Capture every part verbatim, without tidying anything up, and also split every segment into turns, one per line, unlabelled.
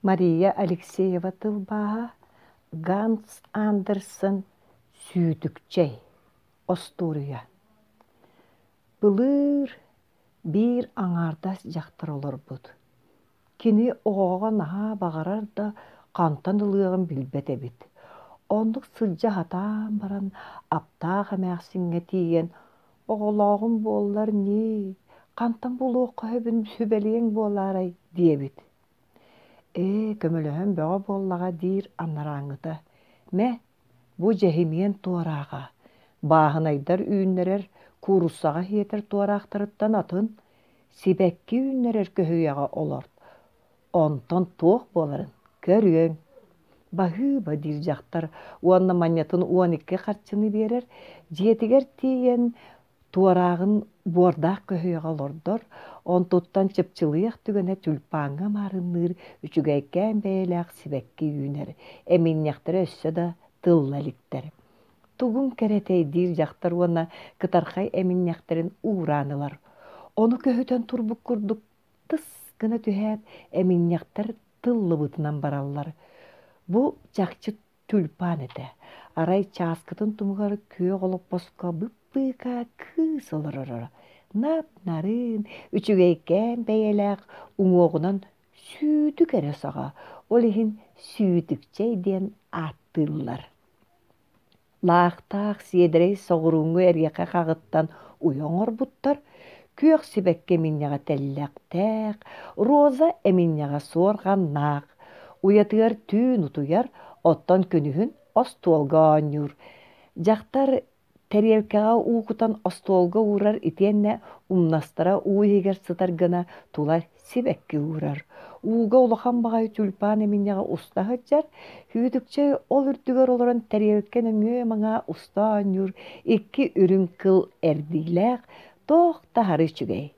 Мария Алексеева тылбааһа Ганс Андерсен «Сүүтүкчэй» остуоруйа. Былыр биир аҥаардас дьахтар олорбут. Кини оҕоҕо наһаа баҕарар да, хантан ылыаҕын билбэт эбит. Оннук сылдьа сатаан баран, аптаах эмээхсиҥҥэ тиийэн «Оҕолооҕум буоллар ньии, хантан булуохха сөбүн сүбэлиэҥ буолаарай» диэбит. Ээ, көмөлөһөн бөҕө буоллаҕа диир анарааҥҥыта. Мэ, бу дьэһимиэн туорааҕа, бааһынайдар үүннэрэр, кууруссаҕа сиэтэр туораахтарыттан атын, сибэкки үүннэрэр көһүйэҕэ олорт. Онтон туох буоларын көрүөҥ. Баһыыба диир дьахтар уонна манньатын уон икки харчыны биэрэр, дьиэтигэр тиийэн туорааҕын буордаах көһүйэҕэ олордор, онтуттан чыпчылыйах түгэнэ тюльпаҥҥа маарынныыр үчүгэйкээн бэйэлээх сибэкки үүнэр, эминньэхтэрэ өссө да тылла иликтэр. Тугуҥ кэрэтэй диир дьахтар уонна кытархай эминньэхтэрин уураан ылар. Ону көһүтэн турбут курдук тыс гына түһээт, эминньэхтэр тыллыбытынан бараллар. Бу чахчы тюльпан этэ. Арай чааскытын тумугар күөх олоппоско быппыыка кыыс олороро. Нап-нарын, үчүгэйкээн бэйэлээх, уҥуоҕунан сүүтүк эрэ саҕа, ол иһин сүүтүкчэй диэн ааттыыллар. Лаахтаах сиэдэрэй соҕурууҥҥу эриэхэ хаҕыттан уйа оҥорбуттар, күөх сибэкки эминньэҕэ тэллэхтээх, роза эминньэҕэ суорҕаннаах. Уйатыгар түүн утуйар, оттон күнүһүн остуолга оонньуур. Дьахтар тэриэлкэҕэ уу кутан остуолга уурар итиэннэ умнастара уу иһигэр сытар гына тула сибэкки уурар. Ууга улахан баҕайы тюльпан эминньэҕэ уста сылдьар, Сүүтүкчэй ол үрдүгэр олорон тэриэлкэ нөҥүө-маҥаа уста оонньуур икки үрүҥ кыл эрдиилээх, туох да аһары үчүгэй.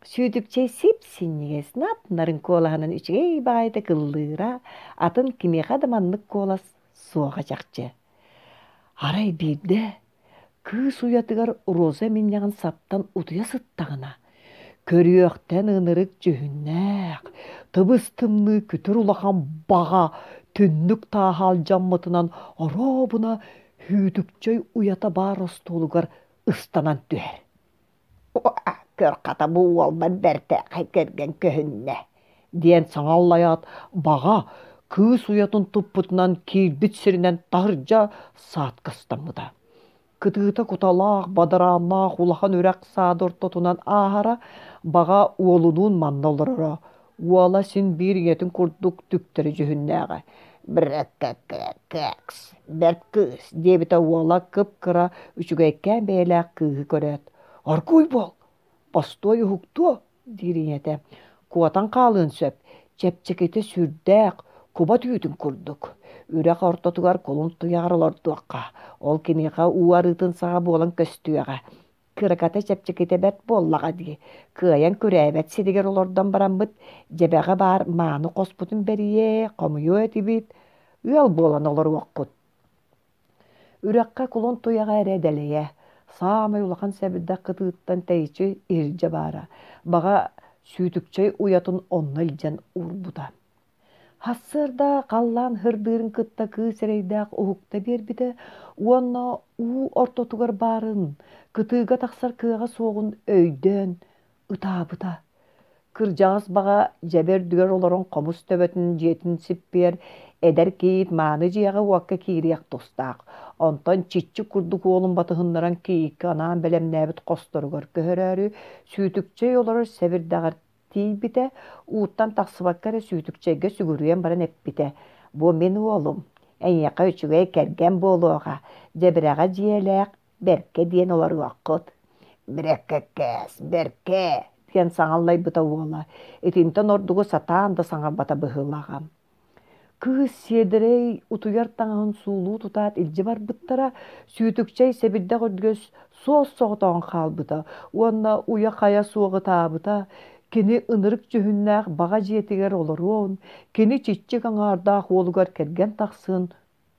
Сүүтүкчэй сип-синньигэс, нап-нарын куолаһынан үчүгэй баҕайытык ыллыыра, атын кимиэхэ да маннык куолас суоҕа чахчы. Арай биирдэ кыыс уйатыгар роза эминньэҕин саптан утуйа сыттаҕына, көрүөхтэн ынырык дьүһүннээх, тыбыс-тымныы күтүр улахан баҕа түннүк тааһа алдьаммытынан оруобуна Сүүтүкчэй уйата баар остуолугар ыстанан түһэр. Көр хата бу уолбар бэртээхэй кэргэн көһүннэ диэн саҥа аллайаат, баҕа кыыс уйатын туппутунан киирбит сиринэн таһырдьа саадкастаммыта. Кытыыта куталаах, бадарааннаах улахан үрэх саады ортотунан ааһара, баҕа уолунуун манна олороро. Уола син биир ийэтин курдук түктэри дьүһүннээҕэ. «Брэккэккэкс, бэрт кыыс» диэбитэ уола кып-кыра, үчүгэйкээн бэйэлээх кыыһы көрөөт. «Оргууй буол, бостуой уһуктуо» диир ийэтэ. Куотан хаалыан сөп, чэпчэкитэ сүрдээх, куба түүтүн курдук. Үрэх ортотугар кулун туйаҕар олордуохха, ол киниэхэ уу арыытын саҕа буолан көстүөҕэ. Кыраката чэпчэкитэ бэрт буоллаҕа дии, кыайан күрээбэт сиригэр олордон бараммыт, дьэбэҕэ баар мааны хоспутун бэрийиэ, хомуйуо этибит, ыал буолан олоруохпут. Үрэххэ кулун туйаҕа эрэ дэлэйэ, саамай улахан сэбирдэх кытыыттан тэйиччи иһирдьэ баара, баҕа Сүүтүкчэй уйатын онно илдьэн уурбута. Сарсыарда халлаан һырдыырын кытта кыыс эрэйдээх уһукта биэрбитэ уонна уу ортотугар баарын, кытыыга тахсар кыаҕа суоҕун өйдөөн ытаабыта. Кырдьаҕас баҕа дьэбэ үрдүгэр олорон хомус төбөтүн дьиэтин сиппиэр эдэр кийиит мааны дьиэҕэ-уокка киириэх тустаах. Онтон чиччик курдук уолун батыһыннаран кийииккэ анаан бэлэмнээбит хосторугар көһөрөөрү, Сүүтүкчэй олорор сэбирдэҕэр тиийбитэ, ууттан тахсыбакка эрэ Сүүтүкчэйгэ сүгүрүйэн баран эппитэ: «Бу мин уолум, эйиэхэ үчүгэй кэргэн буолуоҕа, дьэбирэҕэ дьиэлээх, бэркэ диэн олоруоххут». «Брэккэккээс, бэркэ!» диэн саҥаллайбыта уола, итинтэн ордугу сатаан да саҥарбата быһыылааҕа. Кыыс сиэдэрэй утуйар таҥаһын суулуу тутаат илдьэ барбыттара, Сүүтүкчэй сэбирдэх үрдүгэр суос-соҕотоҕун хаалбыта уонна уйа-хайа суох ытаабыта, кини ынырык дьүһүннээх баҕа дьиэтигэр олоруон, кини чиччик аҥаардаах уолугар кэргэн тахсыан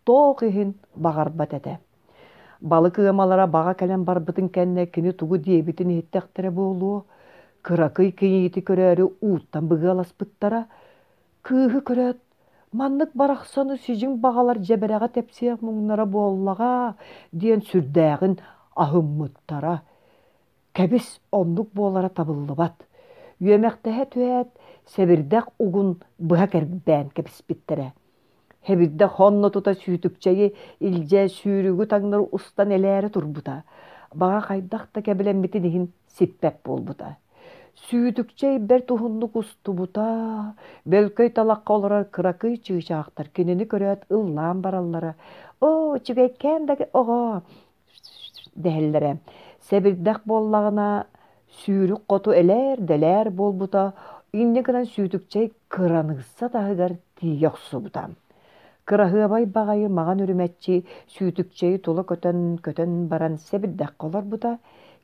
туох иһин баҕарбат этэ. Балык ыамалара баҕа кэлэн барбытын кэннэ кини тугу диэбитин иһиттэхтэрэ буолуо, кыракый кийиити көрөөрү ууттан быгыаласпыттара, Кыыһы көрөөт, маннык барахсаны сидьиҥ баҕалар дьэбэрэҕэ тэпсиэх муҥнара буоллаҕа диэн сүрдээҕин аһыммыттара. Кэбис, оннук буолара табыллыбат. Үөмэхтэһэ түһээт, сэбирдэх угун быһа кэрбээн кэбиспиттэрэ. Сэбирдэх онно тута сүүтүкчэйи илдьэ сүүрүгү таҥнары устан элээрэ турбута. Баҕа хайдах да кэбилэммитин иһин сиппэт буолбута. Сүүтүкчэй бэрт уһуннук устубута, бөлкөй талахха олорор кыракый чыычаахтар кинини көрөөт ыллаан бараллара: «Оо, үчүгэйкээн да оҕо!» дэһэллэрэ. Сэбирдэх буоллаҕына сүүрүк хоту элээр-дэлээр буолбута, инньэ гынан сүүтүкчэй кыраныысса таһыгар тиийэ охсубута. Кыраһыабай баҕайы маҕан үрүмэччи сүүтүкчэйи тула көтөн көтөн баран сэбирдэххэ олорбута.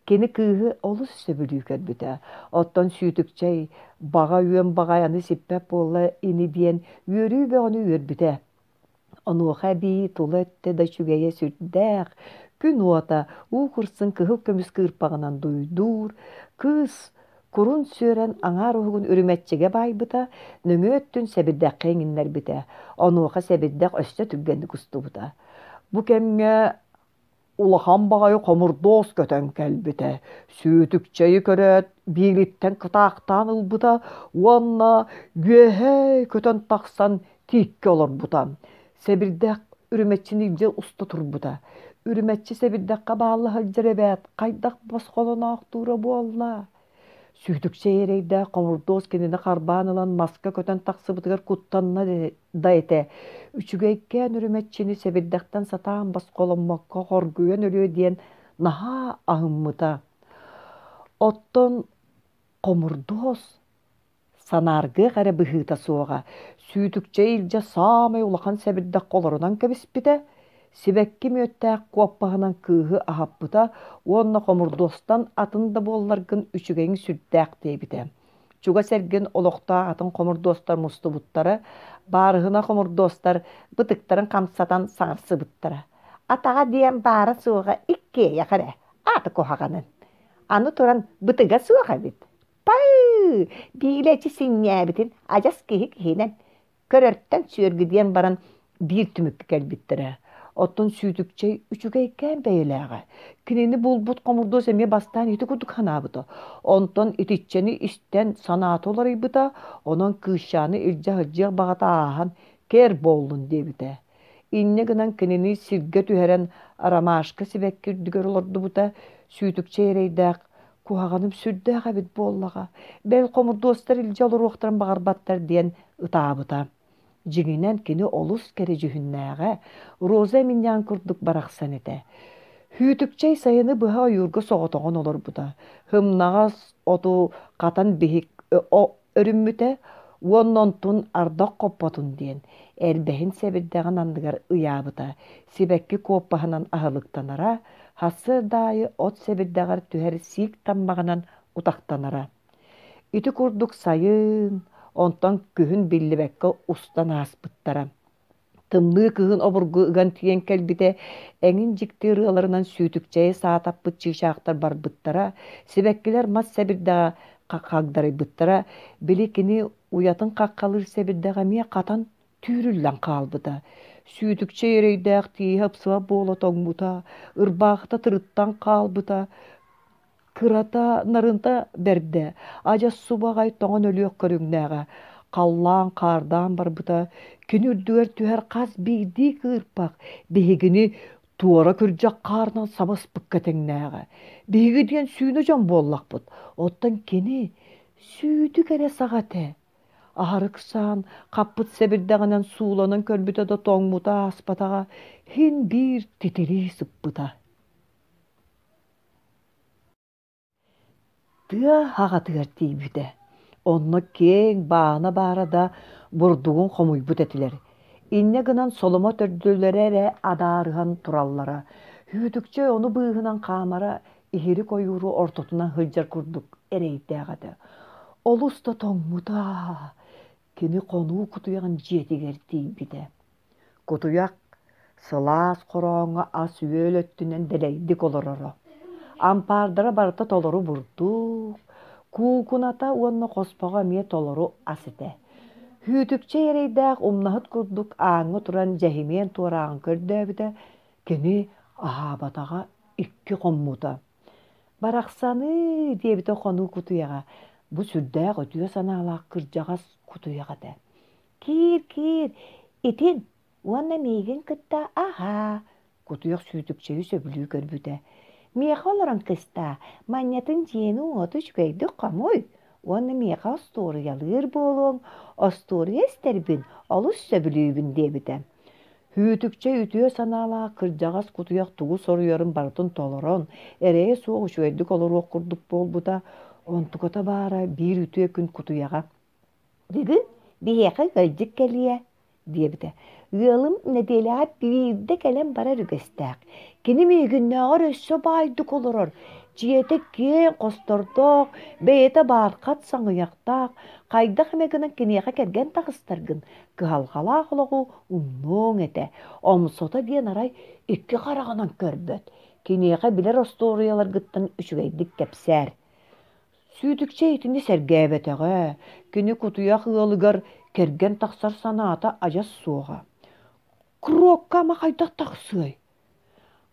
Кини кыыһы олус сөбүлүү көрбүтэ. Оттон сүүтүкчэй баҕа үөн баҕай аны сиппэт буолла ини диэн үөрүү бөҕөнү үөрбүтэ. Онуоха эбии тула өттө да үчүгэйэ сүрдээх, күн уота уу курсун кыһыл көмүс кыырпаҕынан дуйдуур, кыыс курун сүөрэн аҥаар уһугун үрүмэччигэ баайбыта, нөҥүө өттүн сэбирдэххэ иҥиннэрбитэ. Онуоха сэбирдэх өссө түргэнник устубута. Бу кэмҥэ улахан баҕайы хомурдуос көтөн кэлбитэ, сүүтүкчэйи көрөөт биилиттэн кытаахтаан ылбыта уонна үөһэ көтөн тахсан тииккэ олорбута. Сэбирдэх үрүмэччини илдьэ уста турбута. Үрүмэччи сэбирдэххэ баалла сылдьар эбээт, хайдах босхолоноохтуура буолла? Сүүтүкчэй эрэйдээх хомурдуос кинини харбаан ылан маска көтөн тахсыбытыгар куттанна да этэ. Үчүгэйкээн үрүмэччини сэбирдэхтэн сатаан босхоломмокко хоргуйан өлүө диэн наһаа аһыммыта. Оттон хомурдуос санааргыах эрэ быһыыта суоҕа. Сүүтүкчэй илдьэ саамай улахан сэбирдэххэ олорунан кэбиспитэ, сибэкки мүөттээх куоппаһынан кыыһы аһаппыта уонна хомурдуостан атын да буолларгын үчүгэйиҥ сүрдээх диэбитэ. Чугас эргин олохтоох атын хомурдуостар мустубуттара, баарыһына хомурдуостар бытыктарын хамсатан саҥарсыбыттара. Атаҕа диэн баара-суоҕа иккиэйэх эрэ, аата куһаҕанын. Аны туран бытыга суох эбит. Пай! Биилэчи синньээбитин адьас киһи киһинэн көрөртөн сүөргү диэн баран биир түмүккэ кэлбиттэрэ. Оттон сүүтүкчэй үчүгэйкээн бэйэлээҕэ. Кинини булбут хомурдуос эмиэ бастаан ити курдук санаабыта. Онтон итиччэни истэн санаата уларыйбыта, онон кыысчааны илдьэ сылдьыах баҕата ааһан кэр буоллун диэбитэ. Инньэ гынан кинини сиргэ түһэрэн ромашка сибэкки үрдүгэр олордубута, сүүтүкчэй эрэйдээх куһаҕаным сүрдээх эбит буоллаҕа, бэл хомурдуостар илдьэ олоруохтарын баҕарбаттар диэн ытаабыта. Дьиҥинэн кини олус кэрэ дьүһүннээҕэ, роза эминньэҕин курдук барахсан этэ. Хүүтүкчэй сайыны быһа ойуурга соҕотоҕун олорбута. Һымнаҕас оту хатан биһик өрүммүтэ уонна онтун ардах хоппотун диэн эрбэһин сэбирдэҕин анныгар ыйаабыта. Сибэкки куоппаһынан аһылыктанара, сарсыарда аайы от сэбирдэҕэр түһэр сиик таммаҕынан утахтанара. Ити курдук сайын, онтон күһүн биллибэккэ устан ааспыттара. Тымныы кыһын обургу ыган тиийэн кэлбитэ, эҥин дьикти ырыаларынан сүүтүкчэйи саатаппыт чыычаахтар барбыттара, сибэккилэр мас сэбирдэҕэ хагдарыйбыттара, били кини уйатын хаххалыыр сэбирдэҕэ эмиэ хатан түүрүллэн хаалбыта. Сүүтүкчэй эрэйдээх тииһэ ыпсыбат буола тоҥмута, ырбаахыта тырыттан хаалбыта, кырата нарынта бэрдэ, адьас субаҕай тоҥон өлүөх көрүҥнээҕэ. Халлаан хаардаан барбыта, кини үрдүгэр түһэр хас биирдии кыырпах биһигини туора күрдьэх хаарынан саба ыспыкка тэҥнээҕэ. Биһиги диэн сүүнэ дьон буоллахпыт, оттон кини сүүтүк эрэ саҕа этэ. Аһары ыксаан, хаппыт сэбирдэҕинэн сууланан көрбүтэ да тоҥмута ааспатаҕа, син биир титирии сыппыта. Тыа аҕатыгар тиийбитэ. Онно киэҥ баана баара да бурдугун хомуйбут этилэр. Инньэ гынан соломо төрдүлэрэ эрэ адаарыһан тураллара. Хүүтүкчэй ону быыһынан хаамара иһирик ойууру ортотунан сылдьар курдук эрэйдээх этэ. Олус да тоҥмута. Кини хонуу кутуйаҕын дьиэтигэр тиийбитэ. Кутуйах сылаас хорооҥҥо ас-үөл өттүнэн дэлэйдик олороро. Ампаардара барыта толору бурдук, куукуната уонна хоспоҕо эмиэ толору ас этэ. Хүүтүкчэй эрэйдээх умнаһыт курдук ааҥҥа туран дьэһимиэн туорааҕын көрдөөбүтэ, кини аһаабатаҕа икки хоммута. «Барахсаныы» диэбитэ хонуу кутуйаҕа, бу сүрдээх үтүө санаалаах кырдьаҕас кутуйах этэ. «Киир, киир, итин уонна миигин кытта аһаа» кутуйах сүүтүкчэйи сөбүлүү көрбүтэ. «Миэхэ олорон кыстаа, манньатын дьиэни-уоту үчүгэйдик хомуй уонна миэхэ остуоруйалыыр буолуоҥ, остуоруйа истэрбин олус сөбүлүүбүн» диэбитэ. Хүүтүкчэй үтүө санаалаах кырдьаҕас кутуйах тугу соруйарын барытын толорон, эрэйэ суох үчүгэйдик олоруох курдук буолбута. Онтуката баара биир үтүө күн кутуйаҕа «Бүгүн биһиэхэ ыалдьыт кэлиэ» диэбитэ. Ыалым нэдиэлэҕэ биирдэ кэлэн барар үгэстээх. Кини миигиннээҕэр өссө баайдык олорор. Дьиэтэ киэҥ хостордоох, бэйэтэ баархат саҥыйахтаах. Хайдах эмэ гынан киниэхэ кэргэн таҕыстаргын, кыһалҕалаах олоҕу умнуоҥ этэ. Омсото диэн арай икки хараҕынан көрбөт. Киниэхэ билэр остуоруйаларгыттан үчүгэйдик кэпсээр. Сүүтүкчэ итини сэргээбэтэҕэ, кини кутуйах ыалыгар кэргэн тахсар санаата адьас суоҕа. Крокка ама хайдах тахсыай?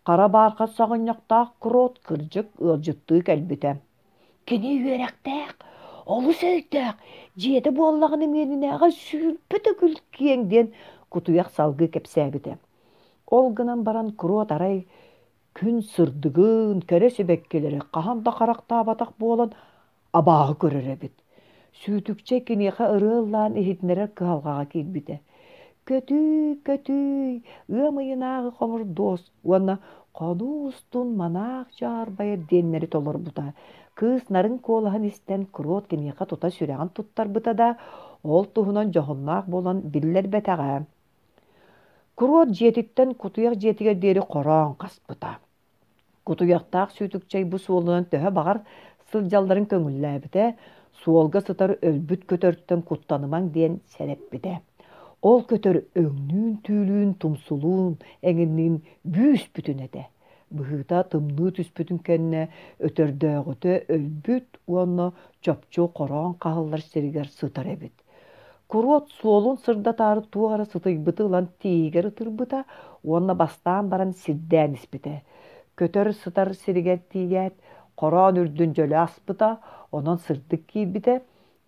Хара баархат саҕынньахтаах Крот кырдьык ыалдьыттыы кэлбитэ. Кини үөрэхтээх, олус өйдөөх, дьиэтэ буоллаҕына миэнинээҕэр сүүрбэ төгүл киэҥ диэн кутуйах салгыы кэпсээбитэ. Ол гынан баран Крот арай күн сырдыгын, кэрэ сибэккилэри хаһан да харахтаабатах буолан абааһы көрөр эбит. Сүүтүкчэ киниэхэ ырыа ыллаан иһитиннэрэр кыһалҕаҕа киирбитэ. Көтүүй, көтүүй, ыам ыйынааҕы хомурдуос уонна хонуу устун манаах дьаарбайар диэннэри толорбута. Кыыс нарын куолаһын истэн Крот киниэхэ тута сүрэҕин туттарбыта да, ол туһунан дьоһуннаах буолан биллэрбэтэҕэ. Крот дьиэтиттэн кутуйах дьиэтигэр диэри хороон хаспыта. Кутуйахтаах сүүтүкчэй бу суолунан төһө баҕар сылдьалларын көҥүллээбитэ, суолга сытар өлбүт көтөртөн куттанымаҥ диэн сэрэппитэ. Ол көтөр өҥнүүн-түүлүүн, тумсулуун, эҥинниин бүүс-бүтүн этэ. Быһыыта тымныы түспүтүн кэннэ өтөрдөөҕүтэ өлбүт уонна чопчу хороон хаһыллар сиригэр сытар эбит. Куруот суолун сырдатаары туох эрэ сытыйбыты ылан тииһигэр ытырбыта уонна бастаан баран сирдээн испитэ. Көтөр сытар сиригэр тиийээт, хороон үрдүн дьөлө аспыта, онон сырдык киирбитэ.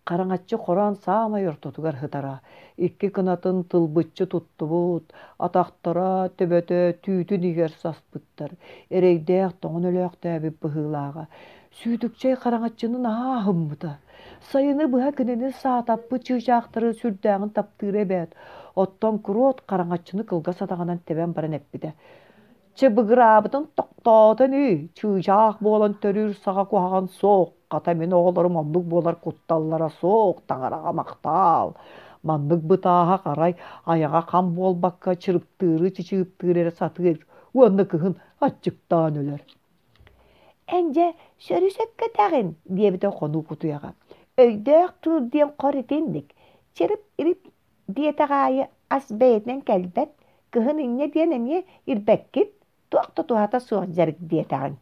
Хараҥаччы хороон саамай ортотугар сытара. Икки кынатын тылбыччы туттубут, атахтара, төбөтө түүтүн иһигэр саспыттар. Эрэйдээх тоҥон өлөөхтөөбүт быһыылааҕа. Сүүтүкчэй хараҥаччыны наһаа аһыммыта. Сайыны быһа кинини саатаппыт чыычаахтары сүрдээҕин таптыыра эбээт. Оттон Куруот хараҥаччыны кылгас атаҕынан тэбэн баран эппитэ: Чыбыгыраабытын тохтоотон үй, чыычаах буолан төрүүр саҕа куһаҕан суох, хата мин оҕолорум оннук буолар кутталлара суох, таҥараҕа махтаал. Маннык бытааһа арай айаҕа хам буолбакка чырыптыыры чычыыптыыры эрэ сатыыр уонна кыһын аччыктаан өлөр. Эн дьэ сөрү-сөпкө этэҕин, диэбитэ хонуу кутуйаҕа. Өйдөөх кыыл диэн хор итинник, чырып-ирип диэтэх аайы ас бэйэтинэн кэлбэт, кыһын инньэ диэн эмиэ ирбэккит, туох да туһата суох дьарык диэтэҕиҥ.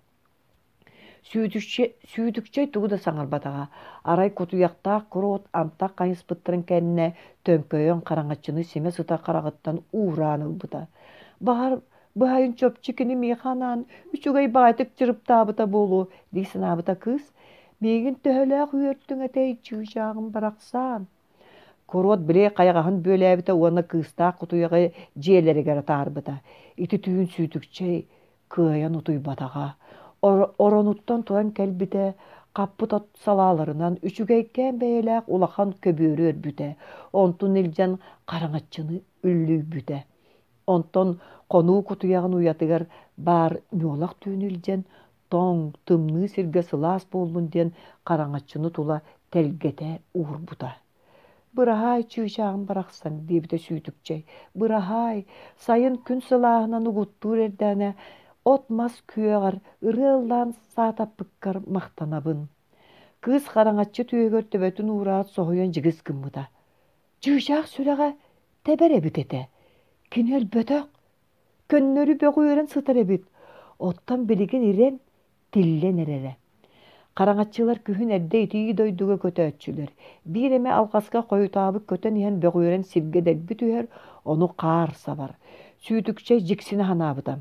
Сүүтүкчэй тугу да саҥарбатаҕа, арай кутуйахтаах куруот антах хайыспыттарын кэннэ төҥкөйөн хараҥаччыны симэ сытар хараҕыттан уураан ылбыта. Баҕар, быһайын чопчу кини миэхэ анаан үчүгэй баҕайытык чырыптаабыта буолуо дии санаабыта кыыс. Миигин төһөлөөх үөртүҥ этэй, чыычааҕым барахсаан. Куруот били хайаҕаһын бүөлээбитэ уонна кыыстаах кутуйаҕы дьиэлэригэр атаарбыта. Ити түүн сүүтүкчэй кыайан утуйбатаҕа. Оронуттан туран кэлбитэ, хаппыт от салааларынан үчүгэйкээн бэйэлээх улахан көбүөрү өрбүтэ, онтун илдьэн хараҥаччыны үллүйбүтэ. Онтон хонуу кутуйаҕын уйатыгар баар ньуолах түүнү илдьэн, тоҥ, тымныы сиргэ сылаас буоллун диэн хараҥаччыны тула тэлгэтэ уурбута. «Быраһаай, чыычааҕым барахсан» диэбитэ Сүүтүкчэй. «Быраһаай, сайын күн сылааһынан угуттуур эрдэҕинэ от-мас күөҕэр ырыа ыллаан саатаппыккар махтанабын». Кыыс хараҥаччы түөһүгэр төбөтүн уураат соһуйан дьигис гыммыта. Чыычаах сүрэҕэ тэбэр эбит этэ. Кини өлбөтөх, көннөрү бөҕүөрэн сытар эбит. Оттон билигин ирэн, тиллэн эрэрэ. Хараҥаччылар күһүн эрдэ итии дойдуга көтөөччүлэр. Биир эмэ алҕаска хойутаабыт көтөн иһэн бөҕүөрэн сиргэ дэлби түһэр, ону хаар сабар. Сүүтүкчэй дьиксинэ санаабыта.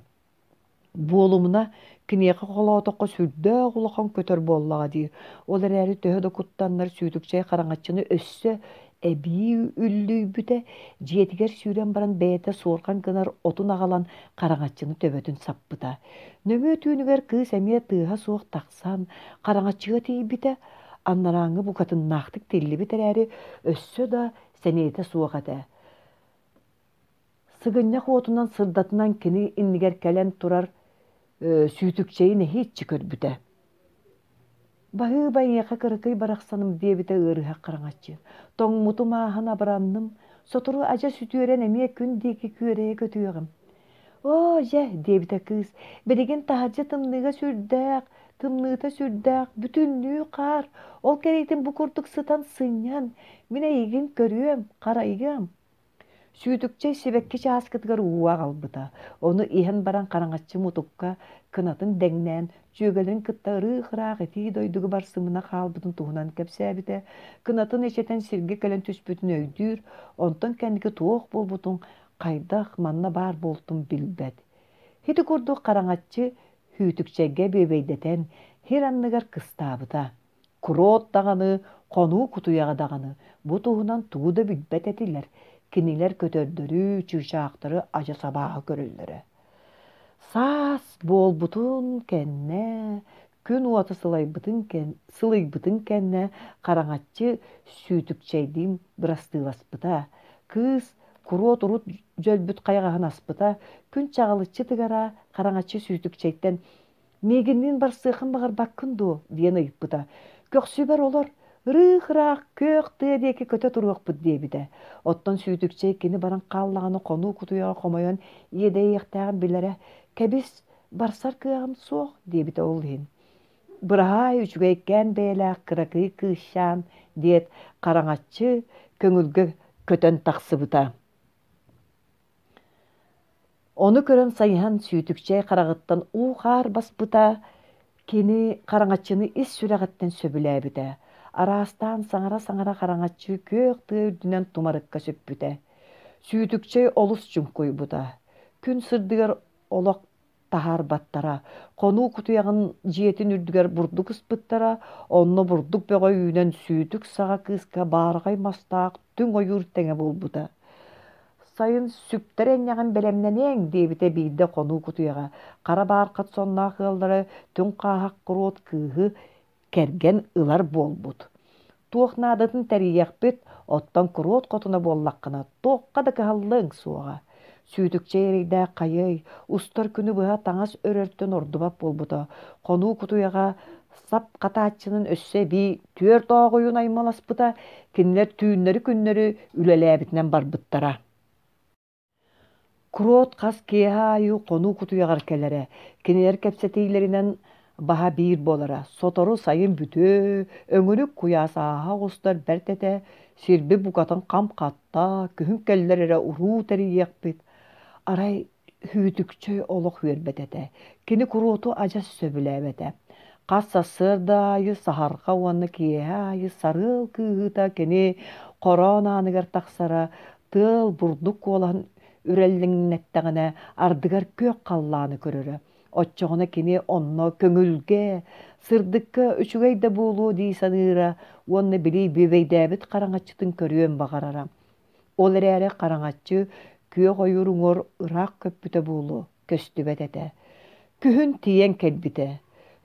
Буолумуна, киниэхэ холоотоххо сүрдээх улахан көтөр буоллаҕа дии. Ол эрээри төһө да куттаннар Сүүтүкчэй хараҥаччыны өссө эбии үллүйбүтэ, дьиэтигэр сүүрэн баран бэйэтэ суорҕан гынар отун аҕалан хараҥаччыны төбөтүн саппыта. Нөҥүө түүнүгэр кыыс эмиэ тыаһа суох тахсан хараҥаччыга тиийбитэ, анарааҥҥы букатыннаахтык тиллибит эрээри өссө да сэниэтэ суох этэ. Сыгынньах уотунан сырдатынан кини иннигэр кэлэн турар Сүүтүкчэйи нэһииччэ көрбүтэ. «Баһыыба эйиэхэ кыракый барахсаным» диэбитэ ыарыһах хараҥаччы. «Тоҥмутум ааһан абыранным, сотору адьас үтүөрэн эмиэ күн диэки күөрэйэ көтүөҕүм». «Оо, дьэ» диэбитэ кыыс, «билигин таһырдьа тымныыга сүрдээх, тымныыта сүрдээх, бүтүннүү хаар, ол кэриэтин бу курдук сытан сынньан, мин эйигин көрүөм, харайыам». Сүүтүкчэй сибэкки чааскытыгар уу аҕалбыта, ону иһэн баран хараҥаччы мутукка кынатын дэҥнээн, дьүөгэлэрин кытта ырыых-ыраах итии дойдуга барсымына хаалбытын туһунан кэпсээбитэ, кынатын эчэтэн сиргэ кэлэн түспүтүн өйдүүр, онтон кэнники туох буолбутун, хайдах манна баар буолтун билбэт. Ити курдук хараҥаччы Сүүтүкчэйгэ бүөбэйдэтэн, сир анныгар кыстаабыта. Куруот даҕаны, хонуу кутуйаҕа даҕаны бу туһунан тугу да билбэт этилэр, кинилэр көтөрдөрү, чыычаахтары адьас абааһы көрөллөрө. Саас буолбутун кэннэ, күн уота сылайбытын кэн, сылыйбытын кэннэ хараҥаччы Сүүтүкчэйдиин бырастыыласпыта. Кыыс куруот урут дьөлбүт хайаҕаһын аспыта, күн чаҕылыччы тыгара, хараҥаччы Сүүтүкчэйтэн «Миигинниин барсыаххын баҕарбаккын дуо?» диэн ыйыппыта. «Көхсүбэр олор, ырыых-ыраах күөх тыа диэки көтө туруохпут» диэбитэ. Оттон Сүүтүкчэй кини баран хааллаҕына хонуу кутуйаҕа хомойон иэдэйиэхтээҕин билэрэ. «Кэбис, барсар кыаҕым суох» диэбитэ ол иһин. «Быраһаай, үчүгэйкээн бэйэлээх кыракый кыысчаан» диэт, хараҥаччы көҥүлгэ көтөн тахсыбыта. Ону көрөн сайыһан Сүүтүкчэй хараҕыттан уу-хаар баспыта, кини хараҥаччыны ис сүрэҕиттэн сөбүлээбитэ. Араастаан саҥара-саҥара хараҥаччы күөх тыа үрдүнэн тумарыкка сүппүтэ. Сүүтүкчэй олус чуҥкуйбута. Күн сырдыгар олох таһаарбаттара. Хонуу кутуйаҕын дьиэтин үрдүгэр бурдук ыспыттара, онно бурдук бөҕө үүнэн сүүтүк саҕа кыыска баараҕай мастаах түҥ ойуур тэҥэ буолбута. Сайын сүктэр энньэҕин бэлэмнэниэҥ диэбитэ биирдэ хонуу кутуйаҕа. Хара баархат сонноох ыаллара түҥ хааһах куруот кыыһы кэргэн ылар буолбут. Туох наадатын тэрийиэхпит, оттон куруот хотуна буоллаххына, туохха да кыһаллыаҥ суоҕа. Сүүтүкчэй эрэйдээх хайыай, устар күнү быһа таҥас өрөртөн ордубат буолбута. Хонуу кутуйаҕа сап хатааччынан өссө эбии түөрт ооҕуйун аймаласпыта, кинилэр түүннэри-күннэри үлэлээбитинэн барбыттара. Куруот хас киэһэ аайы хонуу кутуйаҕар кэлэрэ, кинилэр кэпсэтиилэринэн баһа биир буолара. Сотору сайын бүтүө, өҥүрүк куйаас ааһа оҕустар бэрт этэ, сирбит букатын хам хатта, күһүн кэллэр эрэ уруу тэрийиэхпит. Арай Сүүтүкчэй олох үөрбэт этэ, кини куруоту адьас сөбүлээбэтэ. Хас сарсыарда аайы саһарҕа уонна киэһэ аайы сарыал кыыһыыта кини хороон ааныгар тахсара, тыал бурдук куолаһын үрэллиҥнэттэҕинэ ардыгар күөх халлааны көрөрө. Оччоҕуна кини онно көҥүлгэ, сырдыкка үчүгэй да буолуо дии саныыра уонна били бүөбэйдээбит хараҥаччытын көрүөн баҕарара. Ол эрээри хараҥаччы күөх ойуур уҥуор ыраах көппүтэ буолуо, көстүбэт этэ. Күһүн тиийэн кэлбитэ.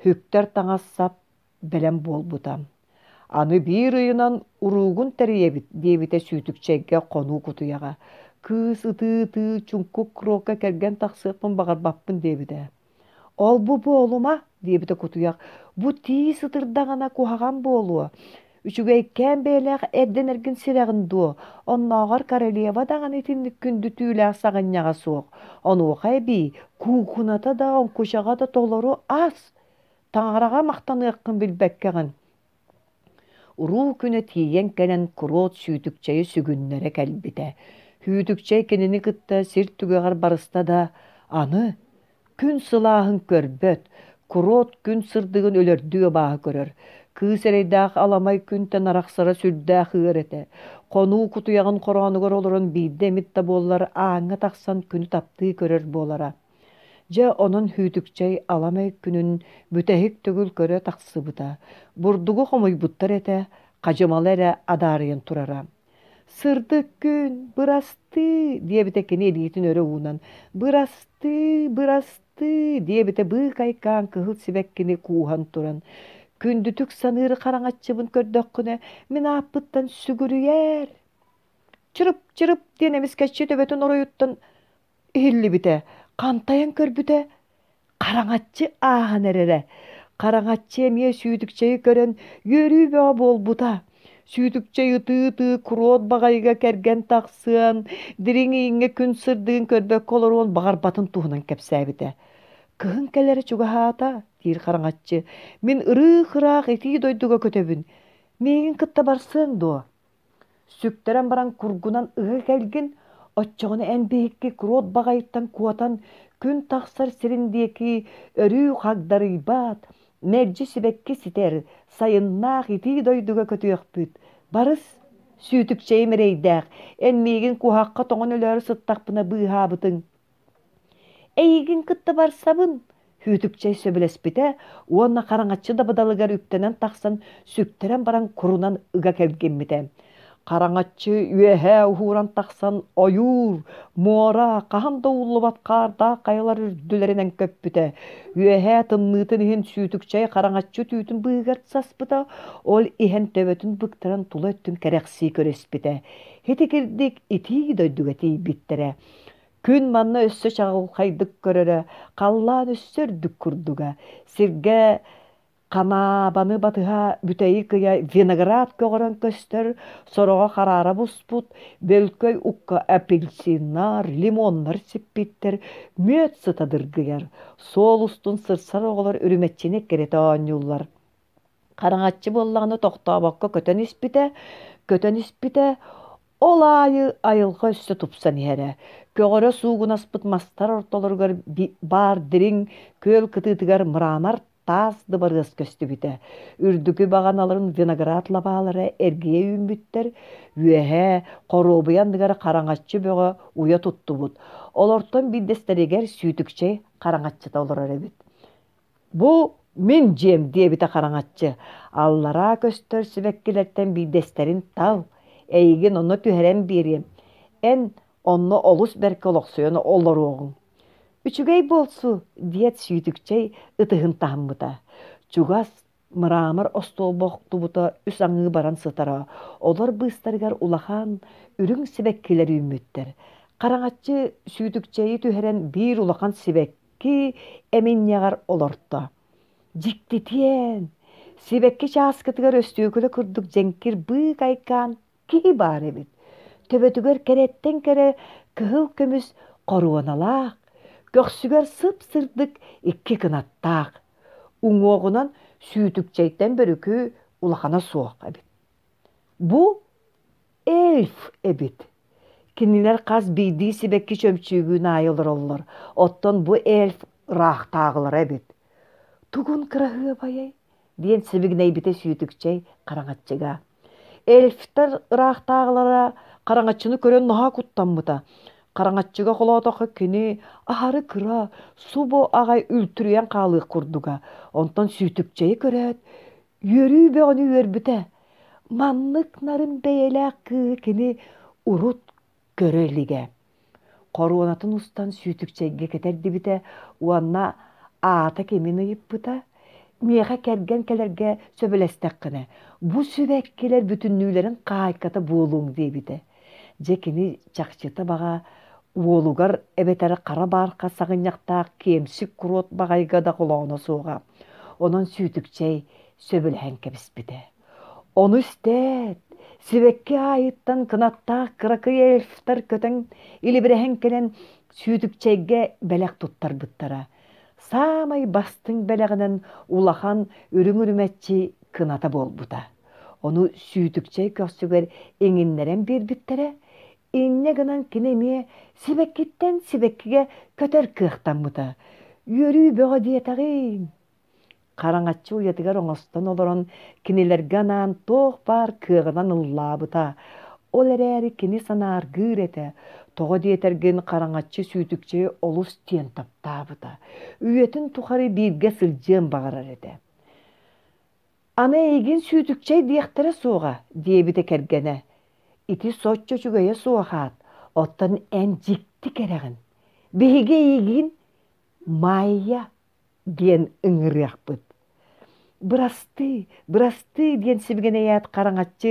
Үктэр таҥас-сап бэлэм буолбута. Аны биир ыйынан уруугун тэрийэбит диэбитэ Сүүтүкчэйгэ хонуу кутуйаҕа. Кыыс ытыы-ытыы чуҥкук курокка кэргэн тахсыахпын баҕарбаппын диэбитэ. Ол-бу буолума диэбитэ кутуйах, бу тиис ытырдаҕына куһаҕан буолуо. Үчүгэйкээн бэйэлээх эрдэн эргин сирэҕин дуо, оннооҕор королева даҕаны итинник күндү түүлээх саҕынньаҕа суох. Онуоха эбии куукуната да, оҥкучаҕа да толору ас. Таҥараҕа махтаныаххын билбэккэҕин. Уруу күнэ тиийэн кэлэн куруот Сүүтүкчэйи сүгүннэрэ кэлбитэ. Сүүтүкчэй кинини кытта сир түгэҕэр барыста да, аны күн сылааһын көрбөт, Куруот күн сырдыгын өлөрдүү абааһы көрөр. Кыыс эрэйдээх аламай күнтэн арахсара сүрдээх ыар этэ. Хонуу кутуйаҕын хороонугар олорон биирдэ эмит да буоллар ааҥҥа тахсан күнү таптыы көрөр буолара. Дьэ онон Хүүтүкчэй аламай күнүн бүтэһик төгүл көрө тахсыбыта. Бурдугу хомуйбуттар этэ, хадьымала эрэ адаарыйан турара. «Сырдык күн, бырастыы!» диэбитэ кини илиитин өрө уунан. «Бырастыы, бырастыы!» диэбитэ быыкайкаан кыһыл сибэккини кууһан туран. «Күндүтүк саныыр хараҥаччыбын көрдөххүнэ, мин ааппыттан сүгүрүйээр!» «Чырып-чырып!» диэн эмискэччи төбөтүн оройуттан иһиллибитэ. Хантайан көрбүтэ, хараҥаччы ааһан эрэрэ. Хараҥаччы эмиэ Сүүтүкчэйи көрөн үөрүү бөҕө буолбута. Сүүтүкчэй ытыы-ытыы куруот баҕайыга кэргэн тахсыан, дириҥ ииҥҥэ күн сырдыгын көрбөккө олоруон баҕарбатын туһунан кэпсээбитэ. «Кыһын кэлэрэ чугаһаата», диир хараҥаччы, «мин ырыых-ыраах итии дойдуга көтөбүн. Миигин кытта барсыаҥ дуо?» Сүктэрэн баран кургунан ыга кэлгин, оччоҕуна эн биһикки куруот баҕайыттан куотан күн тахсар сирин диэки өрүү хагдарыйбат, мэлдьи сибэкки ситэр, сайыннаах итии дойдуга көтүөхпүт. Барыс, сүүтүкчэйим эрэйдээх, эн миигин куһахха тоҥон өлөөрү сыттахпына быыһаабытыҥ. Эйигин кытта барсабын, Хүүтүкчэй сөбүлэспитэ уонна хараҥаччы дабыдалыгар үктэнэн тахсан сүктэрэн баран курунан ыга кэлгиммитэ. Хараҥаччы үөһээ уһууран тахсан ойуур, муора, хаһан да ууллубат хаардаах хайалар үрдүлэринэн көппүтэ. Үөһээ тымныытын иһин Сүүтүкчэй хараҥаччы түүтүн быыһыгар саспыта, ол иһэн төбөтүн быктаран тула өттүн кэрэхсии көрүспүтэ. Ити кирдик итии дойдуга тиийбиттэрэ. Күн манна өссө чаҕылхайдык көрөрө, халлаан өссө үрдүк курдуга. Сиргэ ханаабаны батыһа бүтэйи кыйа виноград көҕөрөн көстөр, сороҕо хараара буспут, бөлкөй укка апельсиннар, лимоннар сиппиттэр, мүөт сыта дыргыйар. Суол устун сырсар оҕолор үрүмэччини эккирэтэ оонньууллар. Хараҥаччы буоллаҕына тохтообокко көтөн испитэ, көтөн испитэ, ол аайы айылҕа өссө тупсан иһэрэ. Көҕөрө суугунаспыт мастар ортолоругар баар дириҥ күөл кытыытыгар мрамор таас дыбарыас көстүбүтэ. Үрдүкү баҕаналарын виноград лабаалара эргийэ үүммүттэр, үөһээ хоруобуйа анныгар хараҥаччы бөҕө уйа туттубут. Олортон биирдэстэригэр Сүүтүкчэй хараҥаччыта олорор эбит. «Бу мин дьиэм» диэбитэ хараҥаччы, аллараа көстөр сибэккилэртэн биирдэстэрин тал, эйигин онно түһэрэн биэриэм, эн онно олус бэркэ олохсуйан олоруоҕуҥ. «Үчүгэй буолсу» диэт Сүүтүкчэй ытыһын таһыммыта. Чугас мрамор остуолба охтубута үс аҥыы баран сытара, олор быыстарыгар улахан үрүҥ сибэккилэр үүммүттэр. Хараҥаччы Сүүтүкчэйи түһэрэн биир улахан сибэкки эминньэҕэр олорто. Дьиктитиэн! Сибэкки чааскытыгар өстүөкүлэ курдук дьэҥкир быыкайкаан киһи баар эбит. Төбөтүгэр кэрэттэн кэрэ кыһыл көмүс хоруоналаах, көхсүгэр сып-сырдык икки кынаттаах. Уҥуоҕунан сүүтүкчэйтэн бөрүкү улахана суох эбит. Бу эльф эбит. Кинилэр хас биирдии сибэкки чөмчүүгүн аайы олороллор, оттон бу эльф ыраахтааҕылара эбит. Тугун кыраһыабайай диэн сибигинэйбитэ Сүүтүкчэй хараҥаччыга. Эльфтэр ыраахтааҕылара хараҥаччыны көрөн наһаа куттаммыта. Хараҥаччыга холоотоххо кини аһары кыра, субу аҕай үлтүрүйэн хаалыах курдуга. Онтон Сүүтүкчэйи көрөөт, үөрүү бөҕөнү үөрбүтэ. Маннык нарын бэйэлээх кыыһы кини урут көрө илигэ. Хоруонатын устан Сүүтүкчэйгэ кэтэрдибитэ уонна аата кимин ыйыппыта. Миэхэ кэргэн кэлэргэ сөбүлэстэххинэ, бу сибэккилэр бүтүннүүлэрин хаайката буолуоҥ диэбитэ. Дьэ кини чахчыта баҕа уолугар эбэтэр хара баарха саҕынньахтаах киэмсик куруот баҕайга да холооно суоҕа. Онон Сүүтүкчэй сөбүлэһэн кэбиспитэ. Ону истээт, сибэкки аайыттан кынаттаах кыракый эльфтэр көтөн илибирэһэн кэлэн Сүүтүкчэйгэ бэлэх туттарбыттара. Саамай бастыҥ бэлэҕинэн улахан үрүҥ үрүмэччи кыната буолбута. Ону Сүүтүкчэй көхсүгэр иҥиннэрэн биэрбиттэрэ. Инньэ гынан кини эмиэ сибэккиттэн сибэккигэ көтөр кыахтаммыта. Үөрүү бөҕө диэтэҕиҥ. Хараҥаччы уйатыгар оҥостон олорон, кинилэргэ анаан туох баар кыаҕынан ыллаабыта. Ол эрээри кини санааргыыр этэ. Тоҕо диэтэргин, Хараҥаччы Сүүтүкчэйи олус диэн таптаабыта. Үйэтин тухары бииргэ сылдьыан баҕарар этэ. Аны эйигин Сүүтүкчэй диэхтэрэ суоҕа, диэбитэ кэргэнэ. Ити соччо үчүгэйэ суох аат, оттон эн дьикти кэрэҕин. Биһиги эйигин Майя диэн ыҥырыахпыт. Бырастыы, бырастыы диэн сибигинэйээт хараҥаччы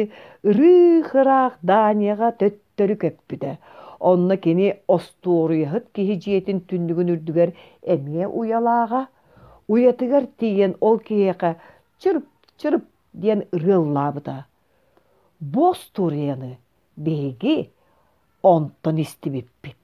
ырыых-ыраах Данияҕа төттөрү көппүтэ. Онно кини остуоруйаһыт киһи дьиэтин түннүгүн үрдүгэр эмиэ уйалааҕа. Уйатыгар тиийэн ол киһиэхэ чырып-чырып диэн ырыа ыллаабыта. Бу остуоруйаны биһиги онтон истибиппит.